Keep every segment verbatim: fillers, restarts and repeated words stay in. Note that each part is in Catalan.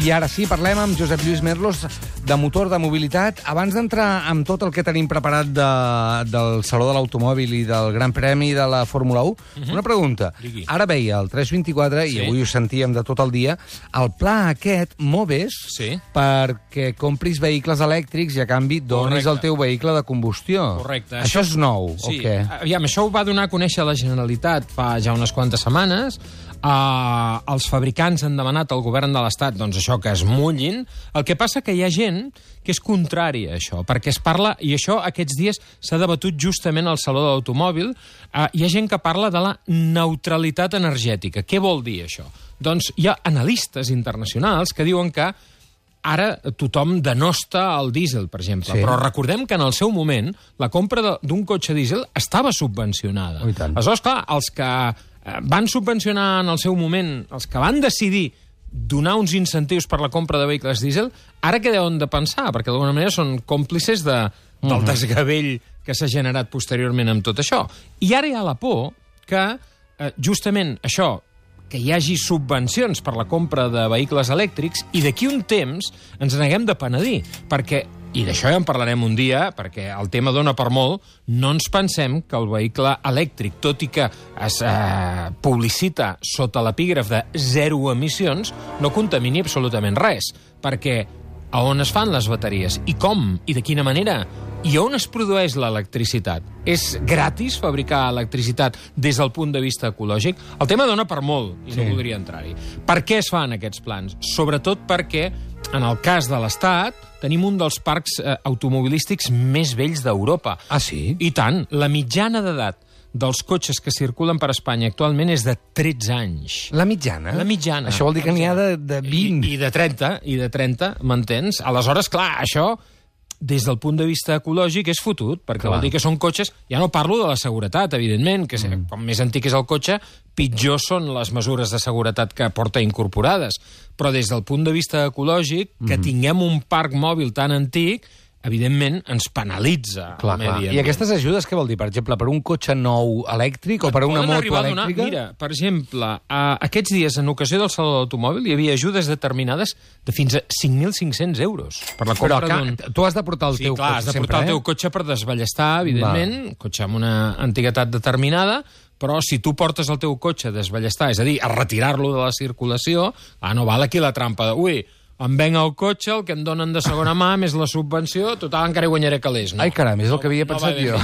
I ara sí, parlem amb Josep Lluís Merlos de motor, de mobilitat. Abans d'entrar amb tot el que tenim preparat de, del Saló de l'Automòbil i del Gran Premi de la Fórmula u, uh-huh. una pregunta. Digui. Ara veia el tres vint-i-quatre, sí. i avui ho sentíem de tot el dia, el pla aquest, Moves, sí. perquè compris vehicles elèctrics i a canvi donis Correcte. el teu vehicle de combustió. Correcte. Això, això és nou, sí. o què? Aviam, això ho va donar a conèixer la Generalitat fa ja unes quantes setmanes. Uh, els fabricants han demanat al govern de l'Estat doncs això, que es mullin. El que passa que hi ha gent que és contrària a això, perquè es parla, i això aquests dies s'ha debatut justament al Saló de l'Automòbil, uh, hi ha gent que parla de la neutralitat energètica. Què vol dir això? Doncs hi ha analistes internacionals que diuen que ara tothom denosta el dièsel, per exemple, sí. però recordem que en el seu moment la compra d'un cotxe dièsel estava subvencionada. Oh, aleshores, clar, els que van subvencionar en el seu moment, els que van decidir donar uns incentius per la compra de vehicles dièsel, ara què deuen de pensar? Perquè d'alguna manera són còmplices de, del uh-huh. desgavell que s'ha generat posteriorment amb tot això. I ara hi ha la por que eh, justament això, que hi hagi subvencions per la compra de vehicles elèctrics i d'aquí un temps ens n'haguem de penedir, perquè, i d'això ja en parlarem un dia, perquè el tema dona per molt, no ens pensem que el vehicle elèctric, tot i que es eh, publicita sota l'epígraf de zero emissions, no contamini absolutament res, perquè a on es fan les bateries? I com? I de quina manera? I on es produeix l'electricitat? És gratis fabricar electricitat des del punt de vista ecològic? El tema dona per molt, i sí. no voldria entrar-hi. Per què es fan aquests plans? Sobretot perquè, en el cas de l'Estat, tenim un dels parcs eh, automobilístics més vells d'Europa. Ah, sí? I tant. La mitjana d'edat dels cotxes que circulen per Espanya actualment és de tretze anys. La mitjana? La mitjana. Això vol dir que n'hi ha de, de vint. I, I de trenta, i de trenta, m'entens? Aleshores, clar, això, des del punt de vista ecològic, és fotut, perquè clar. Vol dir que són cotxes... Ja no parlo de la seguretat, evidentment, que mm. com més antic és el cotxe, pitjor són les mesures de seguretat que porta incorporades. Però des del punt de vista ecològic, mm. que tinguem un parc mòbil tan antic, evidentment, ens penalitza clar, el medi ambient. I aquestes ajudes què vol dir? Per exemple, per un cotxe nou elèctric o per una moto elèctrica? Donar, mira, per exemple, uh, aquests dies, en ocasió del Saló de l'Automòbil, hi havia ajudes determinades de fins a cinc mil cinc-cents euros per la compra d'un... Tu has de portar el sí, teu clar, cotxe has de sempre, portar eh? el teu cotxe per desballestar, evidentment, un cotxe amb una antiguitat determinada, però si tu portes el teu cotxe a desballestar, és a dir, a retirar-lo de la circulació, ah, no val aquí la trampa de... Ui, em venc el cotxe, el que em donen de segona mà, més la subvenció, total, encara hi guanyaré calés. No? Ai, caram, és el que havia no, pensat no jo.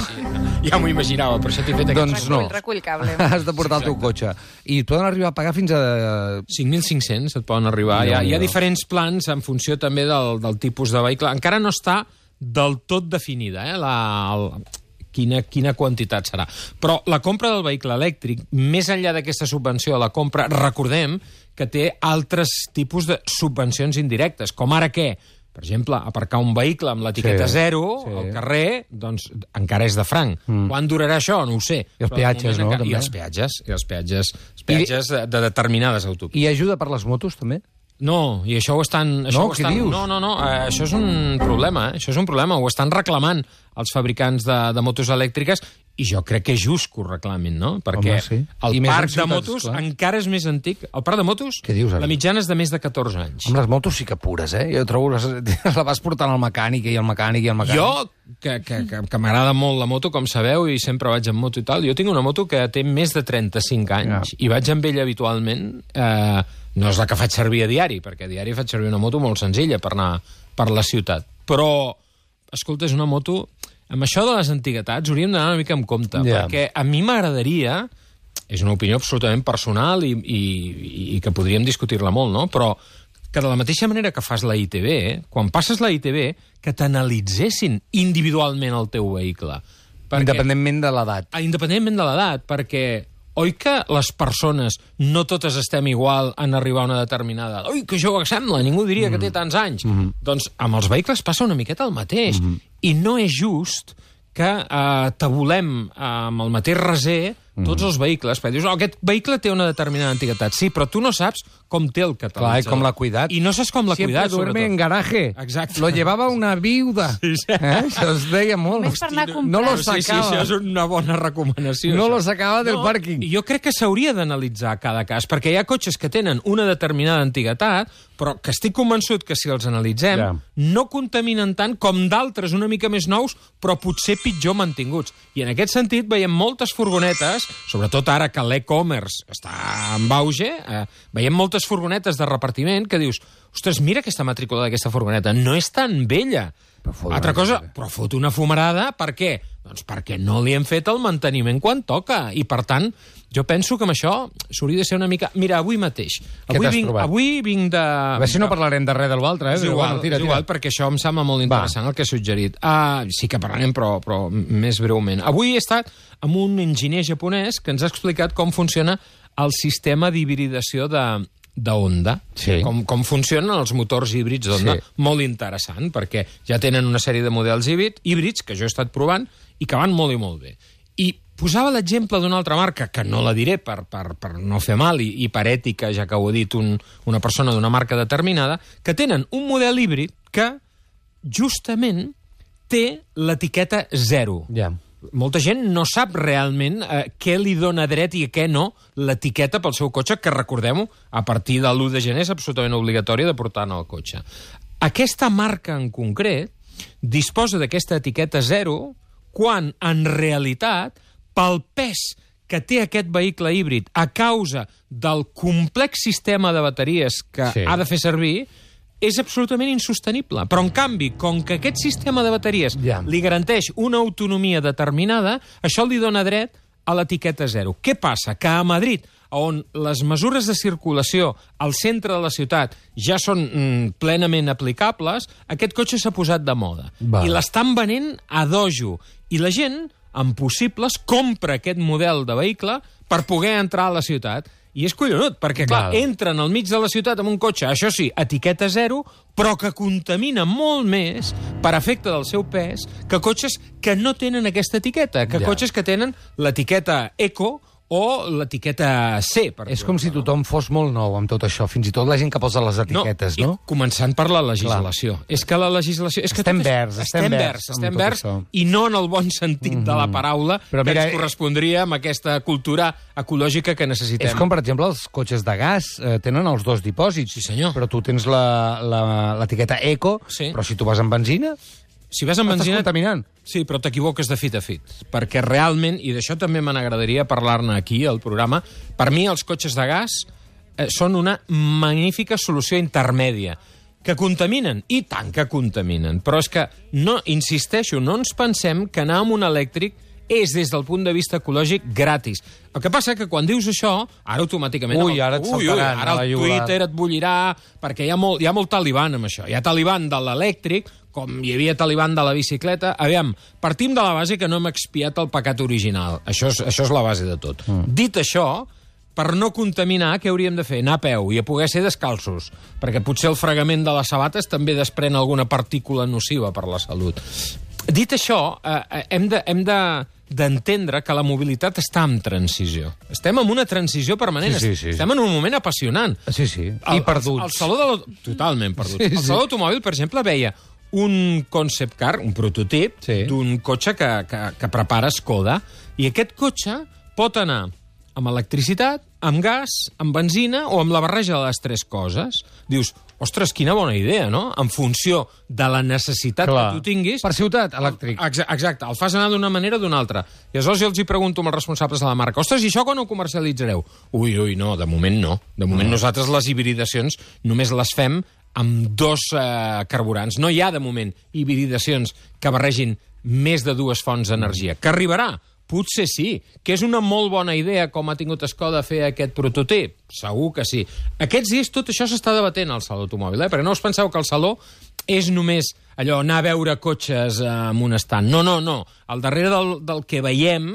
Ja m'ho imaginava, per això t'he fet aquest... Doncs no. Recull, recull cable. Has de portar el teu cotxe. I poden arribar a pagar fins a... cinc mil cinc-cents et poden arribar. Hi ha, hi ha diferents plans en funció també del, del tipus de vehicle. Encara no està del tot definida, eh, la... El... Quina, quina quantitat serà. Però la compra del vehicle elèctric, més enllà d'aquesta subvenció a la compra, recordem que té altres tipus de subvencions indirectes, com ara què? Per exemple, aparcar un vehicle amb l'etiqueta sí, zero sí. al carrer, doncs encara és de franc. Mm. Quan durarà això? No ho sé. I els peatges, no? Encara... I els peatges, i els peatges, els peatges I... de, de determinades autopistes. I ajuda per les motos, també? No, i això ho estan... Això no, ho què estan, dius? No, no, no, eh, això és un problema, eh? Això és un problema, ho estan reclamant els fabricants de, de motos elèctriques i jo crec que és just que ho reclamin, no? Perquè home, sí. el I parc ciutats, de motos clar. encara és més antic. El parc de motos, què dius, la mitjana és de més de catorze anys. Amb les motos sí que pures, eh? Jo trobo les, la vas portant al mecànic i al mecànic i al mecànic. Jo, que, que, que, que m'agrada molt la moto, com sabeu, i sempre vaig en moto i tal, jo tinc una moto que té més de trenta-cinc anys ja. i vaig amb ella habitualment... Eh, no és la que faig servir a diari, perquè a diari faig servir una moto molt senzilla per anar per la ciutat. Però, escolta, és una moto... Amb això de les antiguitats hauríem d'anar una mica amb compte, yeah. perquè a mi m'agradaria, és una opinió absolutament personal i, i, i que podríem discutir-la molt, no? Però que de la mateixa manera que fas la I T B, quan passes la I T B, que t'analitzessin individualment el teu vehicle. Perquè, independentment de l'edat. Independentment de l'edat, perquè... Oi que les persones no totes estem igual en arribar a una determinada... Ui, que jove que sembla, ningú diria mm. que té tants anys. Mm -hmm. Doncs amb els vehicles passa una miqueta el mateix. Mm -hmm. I no és just que eh, tabulem eh, amb el mateix raser mm. tots els vehicles, perquè dius, oh, aquest vehicle té una determinada antiguitat. Sí, però tu no saps com té el catalitzador. Clar, i com l'ha cuidat. I no saps com l'ha Siempre cuidat, duerme sobretot. en garaje. Exacte. Lo llevaba una viuda. Sí, sí. Eh? Això es deia molt. Només per anar a comprar. No lo Sí, sí, sacava. això és una bona recomanació. No això. lo sacava del No, pàrquing. Jo crec que s'hauria d'analitzar cada cas, perquè hi ha cotxes que tenen una determinada antiguitat, però que estic convençut que si els analitzem Ja. no contaminen tant com d'altres una mica més nous, però potser pitjor mantinguts. I en aquest sentit veiem moltes furgonetes, sobretot ara que l'e-commerce està en auge, eh, veiem moltes furgonetes de repartiment que dius, ostres, mira aquesta matrícula d'aquesta furgoneta, no és tan vella. Però fot Altra una cosa, furgoneta. però fot una fumarada, per què? Doncs perquè no li hem fet el manteniment quan toca. I, per tant, jo penso que amb això s'hauria de ser una mica... Mira, avui mateix. Què Avui t'has vinc, trobat? avui vinc de... A veure si no parlarem de res de l'altre, eh? És Però igual, bueno, tira, és igual, tira. perquè això em sembla molt interessant, el que he suggerit. Uh, sí que parlarem, però, però més breument. Avui he estat amb un enginyer japonès que ens ha explicat com funciona el sistema d'hibridació de d'Honda, Sí. com, com funcionen els motors híbrids d'Honda. Sí. Molt interessant, perquè ja tenen una sèrie de models híbrid, híbrids que jo he estat provant i que van molt i molt bé. I posava l'exemple d'una altra marca, que no la diré per, per, per no fer mal i, i per ètica, ja que ho ha dit un, una persona d'una marca determinada, que tenen un model híbrid que justament té l'etiqueta zero. Ja. Molta gent no sap realment eh, què li dona dret i què no l'etiqueta pel seu cotxe, que recordem-ho, a partir de l'u de gener és absolutament obligatori de portar en el cotxe. Aquesta marca en concret disposa d'aquesta etiqueta zero quan, en realitat, pel pes que té aquest vehicle híbrid a causa del complex sistema de bateries que Sí. ha de fer servir, és absolutament insostenible. Però, en canvi, com que aquest sistema de bateries Ja. li garanteix una autonomia determinada, això li dona dret a l'etiqueta zero. Què passa? Que a Madrid, on les mesures de circulació al centre de la ciutat ja són mm, plenament aplicables, aquest cotxe s'ha posat de moda. Val. I l'estan venent a dojo. I la gent, amb possibles, compra aquest model de vehicle per poder entrar a la ciutat. I és collonut, perquè, clar, Val. entren al mig de la ciutat amb un cotxe, això sí, etiqueta zero, però que contamina molt més per efecte del seu pes que cotxes que no tenen aquesta etiqueta, que Ja. cotxes que tenen l'etiqueta eco o l'etiqueta C. Per És com si tothom fos molt nou amb tot això, fins i tot la gent que posa les etiquetes, no? I començant per la legislació. Clar. És que la legislació... És que Estem tot és- verds, estem estem verds verds, amb estem tot verds, això. i no en el bon sentit mm -hmm. de la paraula, Però que mira, ens correspondria amb aquesta cultura ecològica que necessitem. És com, per exemple, els cotxes de gas eh, tenen els dos dipòsits. Sí, senyor. Però tu tens la- la- l'etiqueta eco, Sí. però si tu vas amb benzina, Si vas amb estàs benzina... contaminant. Sí, però t'equivoques de fit a fit, perquè realment, i d'això també me n'agradaria parlar-ne aquí, al programa, per mi els cotxes de gas eh, són una magnífica solució intermèdia, que contaminen, i tant que contaminen, però és que, no, insisteixo, no ens pensem que anar amb un elèctric és, des del punt de vista ecològic, gratis. El que passa que quan dius això, ara automàticament... Ui, ara et ui, ui, saltaran a ara la el jugada. Twitter et bullirà, perquè hi ha molt, hi ha molt taliban amb això. Hi ha taliban de l'elèctric, com hi havia taliban de la bicicleta. Aviam, partim de la base que no hem expiat el pecat original. Això és, això és la base de tot. Mm. Dit això, per no contaminar, què hauríem de fer? Anar a peu i a poder ser descalços, perquè potser el fregament de les sabates també desprèn alguna partícula nociva per la salut. Dit això, eh, hem de... Hem de d'entendre que la mobilitat està en transició. Estem en una transició permanent. Sí, sí, sí. Estem en un moment apassionant. Sí, sí. I El- perduts. El, el saló de l'au- Totalment perduts. Sí, Sí, sí. El sí. saló d'automòbil, per exemple, veia un concept car, un prototip, Sí. d'un cotxe que, que, que prepara Skoda, i aquest cotxe pot anar amb electricitat, amb gas, amb benzina o amb la barreja de les tres coses. Dius, ostres, quina bona idea, no? En funció de la necessitat Clar. que tu tinguis... Per ciutat, elèctric. Exa- Exacte, el fas anar d'una manera o d'una altra. I aleshores jo els hi pregunto als responsables de la marca, ostres, i això quan ho comercialitzareu? Ui, ui, no, de moment no. De moment no. Nosaltres les hibridacions només les fem amb dos eh, carburants. No hi ha, de moment, hibridacions que barregin més de dues fonts d'energia. Que arribarà? Potser sí, que és una molt bona idea com ha tingut Skoda fer aquest prototip. Segur que sí. Aquests dies tot això s'està debatent al Saló Automòbil, eh? Perquè no us penseu que el Saló és només allò, anar a veure cotxes eh, amb un estant. No, no, no. Al darrere del, del que veiem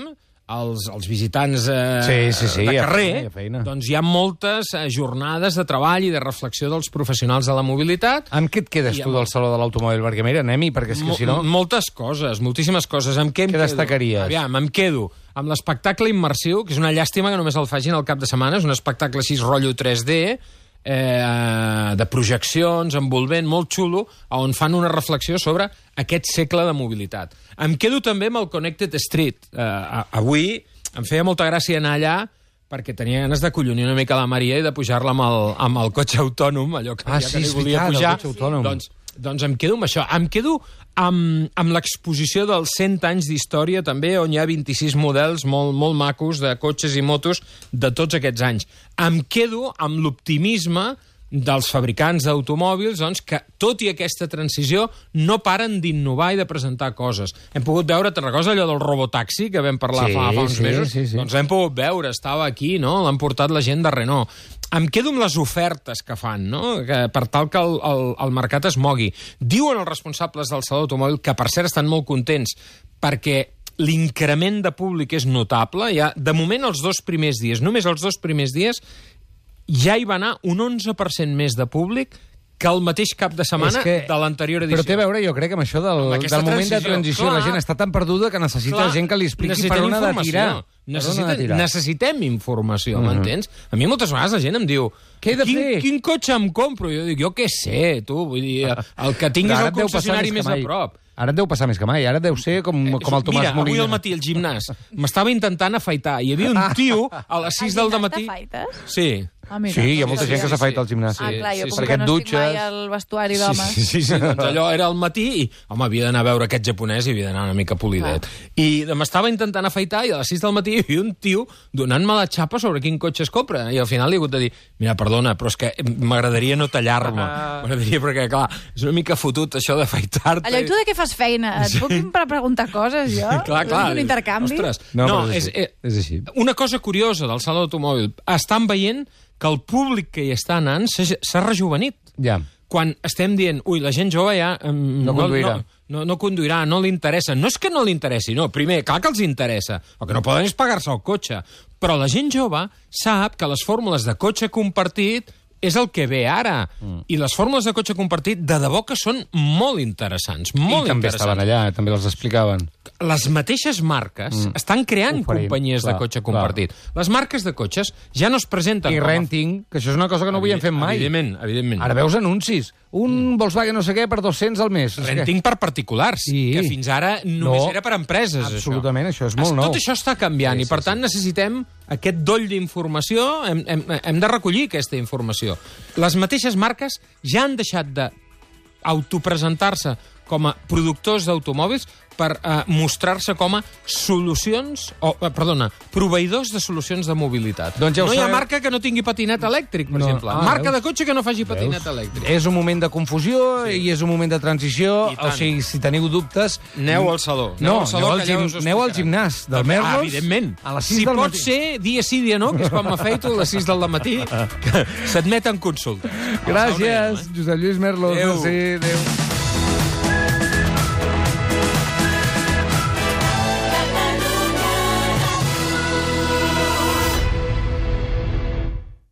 els, els visitants eh, Sí, sí, sí, de hi ha carrer, feina, hi ha feina. doncs hi ha moltes eh, jornades de treball i de reflexió dels professionals de la mobilitat. Amb què et quedes I tu amb- del Saló de l'Automòbil? Perquè mira, anem-hi, perquè és que Mo- si no... Moltes coses, moltíssimes coses. Amb què em Què quedo? destacaries? Aviam, em quedo amb l'espectacle immersiu, que és una llàstima que només el facin al cap de setmana, és un espectacle així rotllo tres D, eh, de projeccions, envolvent, molt xulo, on fan una reflexió sobre aquest segle de mobilitat. Em quedo també amb el Connected Street. Eh, a- avui em feia molta gràcia anar allà perquè tenia ganes de collonir una mica la Maria i de pujar-la amb, el, amb el cotxe autònom, allò que, Ah, ja sí, que li és volia veritat, el pujar. cotxe autònom. Doncs, doncs em quedo amb això. Em quedo amb, amb l'exposició dels cent anys d'història, també, on hi ha vint-i-sis models molt, molt macos de cotxes i motos de tots aquests anys. Em quedo amb l'optimisme dels fabricants d'automòbils, doncs, que, tot i aquesta transició, no paren d'innovar i de presentar coses. Hem pogut veure, te'n recordes allò del robotaxi, que vam parlar Sí, fa, fa uns sí, mesos? sí, sí. Doncs l'hem pogut veure, estava aquí, no? L'han portat la gent de Renault. Em quedo amb les ofertes que fan, no? Que, per tal que el, el, el mercat es mogui. Diuen els responsables del Saló Automòbil, que per cert estan molt contents, perquè l'increment de públic és notable. Ja, de moment, els dos primers dies, només els dos primers dies, ja hi va anar un onze per cent més de públic que el mateix cap de setmana que- de l'anterior edició. Però té a veure, jo crec, amb això del, Amb del aquesta moment de transició. transició. Clar. La gent està tan perduda que necessita Clar, gent que li expliqui per necessitem on ha de informació. tirar. Per on ha Necessita, de tirar. necessitem informació, m'entens? A mi moltes vegades la gent em diu Què he de quin, fer? quin cotxe em compro? Jo dic, jo què sé, tu, vull dir, el que tinguis Però ara el et deu passar concessionari més més que a mai. prop. Ara et deu passar més que mai. Ara deu ser com, com el Tomàs Mira, Molina. avui al matí al gimnàs m'estava intentant afaitar. Hi havia un tio a les sis del gimnàs matí... t'afaites? Sí. Ah, mira, Sí, hi ha no molta sabia. gent que s'afaita al gimnàs. Ah, clar, jo Sí, com sí. que Perquè no et estic mai dutxes. al vestuari Sí, d'homes. sí, sí, sí, doncs allò era al matí i, home, havia d'anar a veure aquest japonès i havia d'anar una mica polidet. I m'estava intentant afaitar i a les sis del matí hi havia un tio donant-me la xapa sobre quin cotxe es compra. I al final li he hagut de dir, mira, perdona, però és que m'agradaria no tallar-me. M'agradaria, perquè, clar, és una mica fotut això d'afaitar-te. Allò, i tu de què fas feina? Et puc per preguntar coses, jo? Clar, clar. Un intercanvi? Ostres, No, no, però és és, així. és, És així. Una cosa curiosa del Saló d'Automòbil, estan veient que el públic que hi està anant s'ha s'ha rejuvenit. Ja. Quan estem dient, ui, la gent jove ja... Um, No conduirà. No, no, no conduirà, no li interessa. No és que no li interessi, no. Primer, clar que els interessa. El que no poden és pagar-se el cotxe. Però la gent jove sap que les fórmules de cotxe compartit és el que ve ara. Mm. I les fórmules de cotxe compartit de debò que són molt interessants. Molt I també interessants. estaven allà, també els explicaven. Les mateixes marques mm. estan creant Oferint, companyies clar, de cotxe clar. compartit. Les marques de cotxes ja no es presenten I com a... renting, que això és una cosa que no havíem fet mai. Evidentment, evidentment. Ara veus anuncis. Un Volkswagen no sé què per dos-cents al mes. És que- Renting per particulars, Sí. que fins ara només No, era per empreses, absolutament, això és això. molt nou. Tot això està canviant Sí, i, per sí, tant, necessitem aquest doll d'informació, hem, hem, hem de recollir aquesta informació. Les mateixes marques ja han deixat de autopresentar-se com a productors d'automòbils per eh, mostrar-se com a solucions, o, eh, perdona, proveïdors de solucions de mobilitat. Doncs ja ho no hi ha sabeu. marca que no tingui patinet elèctric, per No. exemple. Ah, Marca veus? de cotxe que no faci patinet Veus? elèctric. És un moment de confusió sí. i és un moment de transició. I tant. O sigui, si teniu dubtes... Aneu al saló. No, al saló, aneu al, que allà gim, us ho aneu al explicaran. gimnàs del També, Merlos. ah, evidentment. A les sis si del pot matí. ser dia sí, dia no, que és quan m'afeito a les sis del matí, que s'admeten consultes. Gràcies, Josep Lluís Merlos. Adéu. Sí, adéu.